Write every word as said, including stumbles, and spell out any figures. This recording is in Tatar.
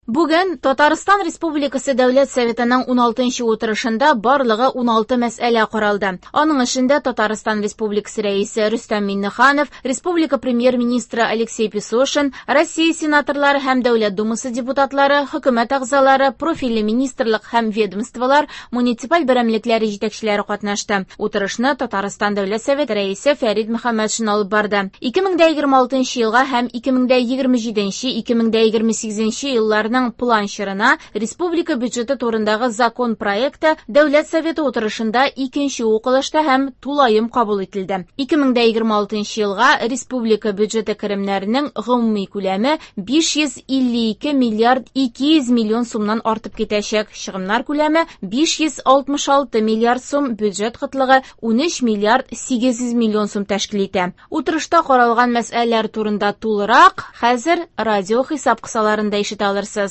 Бүген Татарстан Республикасы Дәүләт Советының уналтынчы утырышында барлыгы уналты мәсьәлә каралды. Аның эшендә Татарстан Республикасы Рәисе Рөстәм Миңнеханов, Республика Премьер-министры Алексей Песошин, Россия сенаторлары һәм Дәүләт Думасы депутатлары, хөкүмәт әгъзалары, профильле министрлык һәм ведомстволар, муниципаль берәмлекләре җитәкчеләре катнашты. Утырышны Татарстан Дәүләт Советы Рәисе Фәрит Мөхәммәтшин алып барды. ике мең дә егерме алтынчы елга һәм ике мең дә егерме җиденче, ике мең дә егерме сигезенче елларның план чорына республика бюджеты турындагы закон проекты Дәүләт Советы утырышында икенче укылышта һәм тулаем кабул ителде. ике мең дә егерме алтынчы елга республика бюджеты керемнәренең гомуми күләме биш йөз илле ике миллиард ике йөз миллион сумнан артып китәчәк. Чыгымнар күләме биш йөз алтмыш алты миллиард сум, бюджет кытлыгы унөч миллиард сигез йөз миллион сум тәшкил итә. Утырышта каралган мәсьәләләр турында тулырак хәзер радио хисап кысаларында ишетә алырсыз.